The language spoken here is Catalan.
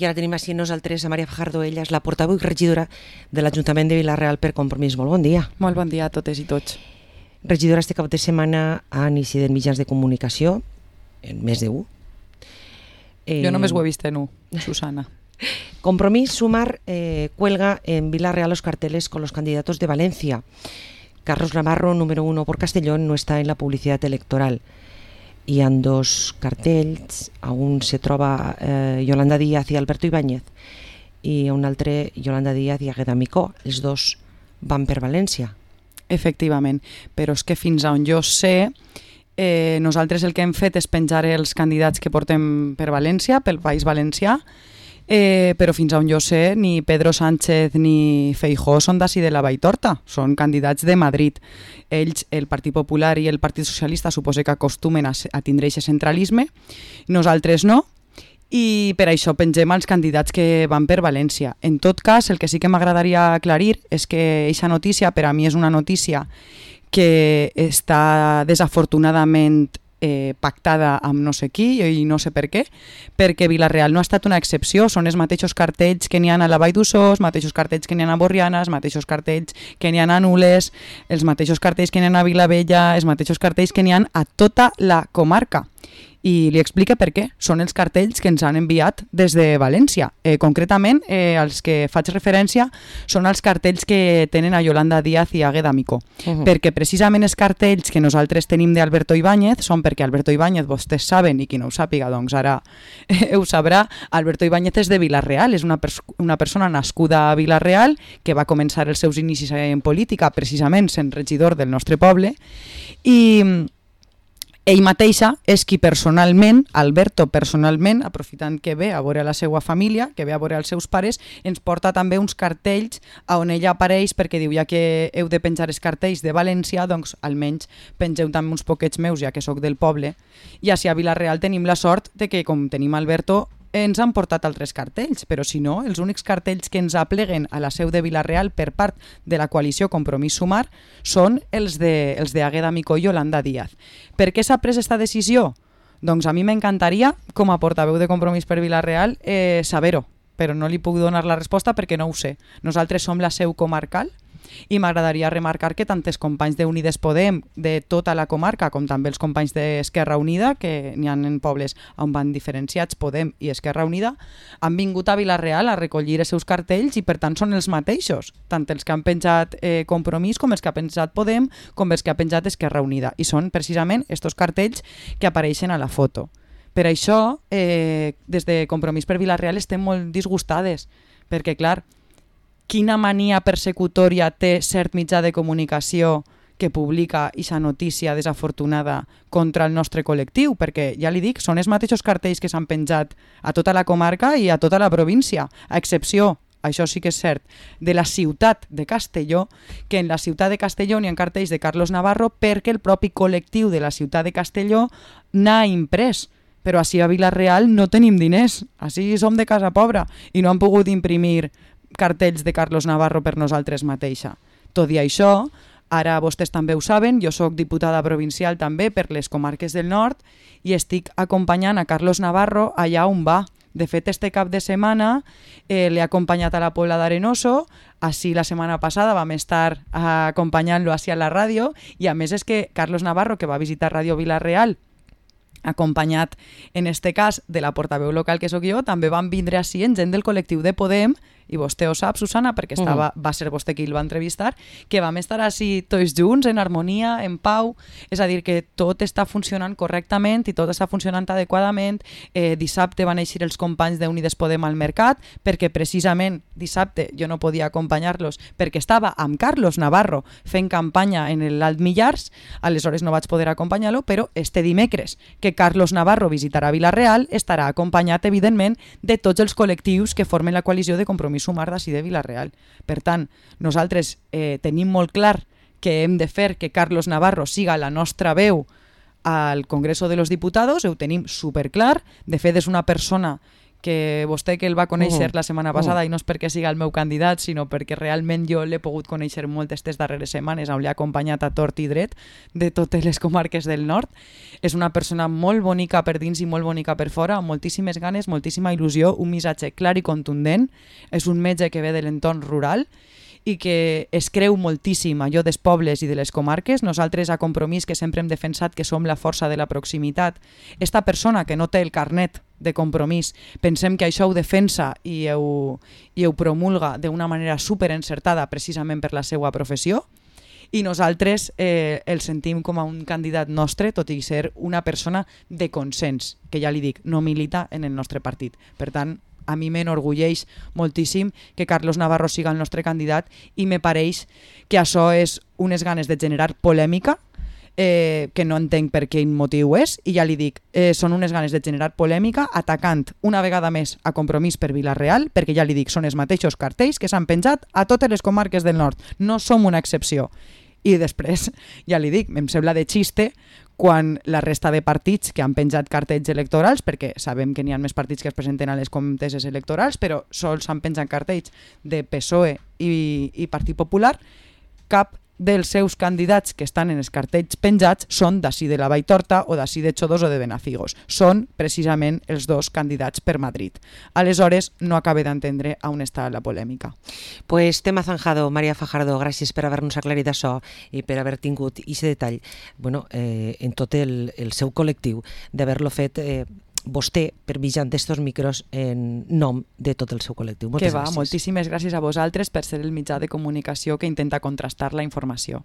I ara tenim així nosaltres a Maria Fajardo, ella és la portaveu i regidora de l'Ajuntament de Vila-real per Compromís. Molt bon dia. Molt bon dia a totes i tots. Regidora, este cap de setmana han incidit mitjans de comunicació, en més d'un. Jo només ho he vist en un, Susana. Compromís Sumar cuelga en Vila-real los carteles con los candidatos de Valencia. Carlos Navarro, número 1 por Castellón, no está en la publicidad electoral. Hi ha dos cartells, a un se troba Yolanda Díaz i Alberto Ibáñez i a un altre Yolanda Díaz i Águeda Micó. Els dos van per València. Efectivament, però és que fins a on jo sé, nosaltres el que hem fet és penjar els candidats que portem per València, pel País Valencià, però fins a on jo sé ni Pedro Sánchez ni Feijóo són d'ací de la Valltorta, són candidats de Madrid. Ells, el Partit Popular i el Partit Socialista, suposa que acostumen a tindre aquest centralisme, nosaltres no, i per això pengem els candidats que van per València. En tot cas, el que sí que m'agradaria aclarir és que aquesta notícia per a mi és una notícia que està desafortunadament pactada amb no sé qui i no sé per què, perquè Vila-real no ha estat una excepció, són els mateixos cartells que n'hi ha a la Vall d'Uixó, els mateixos cartells que n'hi ha a Borriana, els mateixos cartells que n'hi ha a Nules, els mateixos cartells que n'hi ha a Vilavella, els mateixos cartells que n'hi ha a tota la comarca. I li explica per què. Són els cartells que ens han enviat des de València. Concretament, els que faig referència són els cartells que tenen a Yolanda Díaz i a Águeda Micó. Perquè precisament els cartells que nosaltres tenim d'Alberto Ibáñez són perquè Alberto Ibáñez, vostès saben, i qui no ho sàpiga, doncs ara ho sabrà, Alberto Ibáñez és de Vila-real, és una persona nascuda a Vila-real que va començar els seus inicis en política precisament sent regidor del nostre poble i ell mateixa és qui personalment, Alberto personalment, aprofitant que ve a veure la seva família, que ve a veure els seus pares, ens porta també uns cartells on ella apareix perquè diu, ja que heu de penjar els cartells de València, doncs almenys pengeu també uns poquets meus, ja que sóc del poble. I així a Vila-real tenim la sort de que, com tenim Alberto, ens han portat altres cartells, però si no, els únics cartells que ens apleguen a la seu de Vila-real per part de la coalició Compromís Sumar són els de Águeda Micó i Yolanda Díaz. Per què s'ha pres aquesta decisió? Doncs a mi m'encantaria, com a portaveu de Compromís per Vila-real, saber-ho, però no li puc donar la resposta perquè no ho sé. Nosaltres som la seu comarcal i m'agradaria remarcar que tant els companys d'Unides Podem de tota la comarca com també els companys d'Esquerra Unida, que n'hi ha en pobles on van diferenciats Podem i Esquerra Unida, han vingut a Vila-real a recollir els seus cartells i per tant són els mateixos, tant els que han penjat Compromís com els que ha penjat Podem com els que ha penjat Esquerra Unida, i són precisament estos cartells que apareixen a la foto. Per això, des de Compromís per Vila-real estem molt disgustades, perquè clar, quina mania persecutòria té cert mitjà de comunicació que publica aquesta notícia desafortunada contra el nostre col·lectiu, perquè ja li dic, són els mateixos cartells que s'han penjat a tota la comarca i a tota la província, a excepció, això sí que és cert, de la ciutat de Castelló, que en la ciutat de Castelló n'hi ha cartells de Carlos Navarro perquè el propi col·lectiu de la ciutat de Castelló n'ha imprès. Però així a Vila-real no tenim diners, així som de casa pobra i no han pogut imprimir cartells de Carlos Navarro per nosaltres mateixa. Tot i això, ara vostès també ho saben, jo sóc diputada provincial també per les comarques del nord i estic acompanyant a Carlos Navarro allà on va. De fet, este cap de setmana l'he acompanyat a la Pobla d'Arenoso, així la setmana passada vam estar acompanyant-lo així a la ràdio i a més és que Carlos Navarro, que va visitar Ràdio Vila-real, acompanyat en este cas de la portaveu local que sóc jo, també van vindre així en gent del col·lectiu de Podem, i vostè ho sap, Susana, perquè va ser vostè qui el va entrevistar, que vam estar així tots junts, en harmonia, en pau, és a dir, que tot està funcionant correctament i tot està funcionant adequadament. Dissabte van eixir els companys d'Unides Podem al mercat, perquè precisament dissabte jo no podia acompanyar-los perquè estava amb Carlos Navarro fent campanya en l'Alt Millars, aleshores no vaig poder acompanyar-lo, però este dimecres que Carlos Navarro visitarà Vila-real estarà acompanyat, evidentment, de tots els col·lectius que formen la coalició de Compromís Sumar d'ací de Vila-real. Per tant, nosaltres tenim molt clar que hem de fer que Carlos Navarro siga la nostra veu al Congreso de los Diputados, ho tenim superclar. De fet, és una persona que vostè que el va conèixer la setmana passada, i no és perquè siga el meu candidat, sinó perquè realment jo l'he pogut conèixer molt aquestes darreres setmanes, on l'he acompanyat a tort i dret de totes les comarques del nord. És una persona molt bonica per dins i molt bonica per fora, amb moltíssimes ganes, moltíssima il·lusió, un missatge clar i contundent. És un metge que ve de l'entorn rural i que es creu moltíssim allò dels pobles i de les comarques. Nosaltres a Compromís, que sempre hem defensat que som la força de la proximitat, esta persona que no té el carnet de Compromís, pensem que això ho defensa i ho promulga d'una manera superencertada precisament per la seva professió, i nosaltres el sentim com a un candidat nostre, tot i ser una persona de consens, que ja li dic, no milita en el nostre partit. Per tant, a mi m'enorgulleix moltíssim que Carlos Navarro siga el nostre candidat i me pareix que això és unes ganes de generar polèmica, que no entenc per quin motiu és, i ja li dic, són unes ganes de generar polèmica atacant una vegada més a Compromís per Vila-real, perquè ja li dic, són els mateixos cartells que s'han penjat a totes les comarques del nord, no som una excepció. I després, ja li dic, em sembla de xiste quan la resta de partits que han penjat cartells electorals, perquè sabem que n'hi ha més partits que es presenten a les comteses electorals, però sols han penjat cartells de PSOE i Partit Popular, cap dels seus candidats que estan en els cartells penjats són d'ací de la Valltorta o d'ací de Xodos o de Benafigos. Són precisament els dos candidats per Madrid. Aleshores, no acabe d'entendre on està la polèmica. Pues tema zanjado, Maria Fajardo, gràcies per haver-nos aclarit això i per haver tingut aquest detall en tot el seu col·lectiu, d'haver-lo fet vostè per mitjan d'estos micros en nom de tot el seu col·lectiu. Moltes gràcies. Moltíssimes gràcies a vosaltres per ser el mitjà de comunicació que intenta contrastar la informació.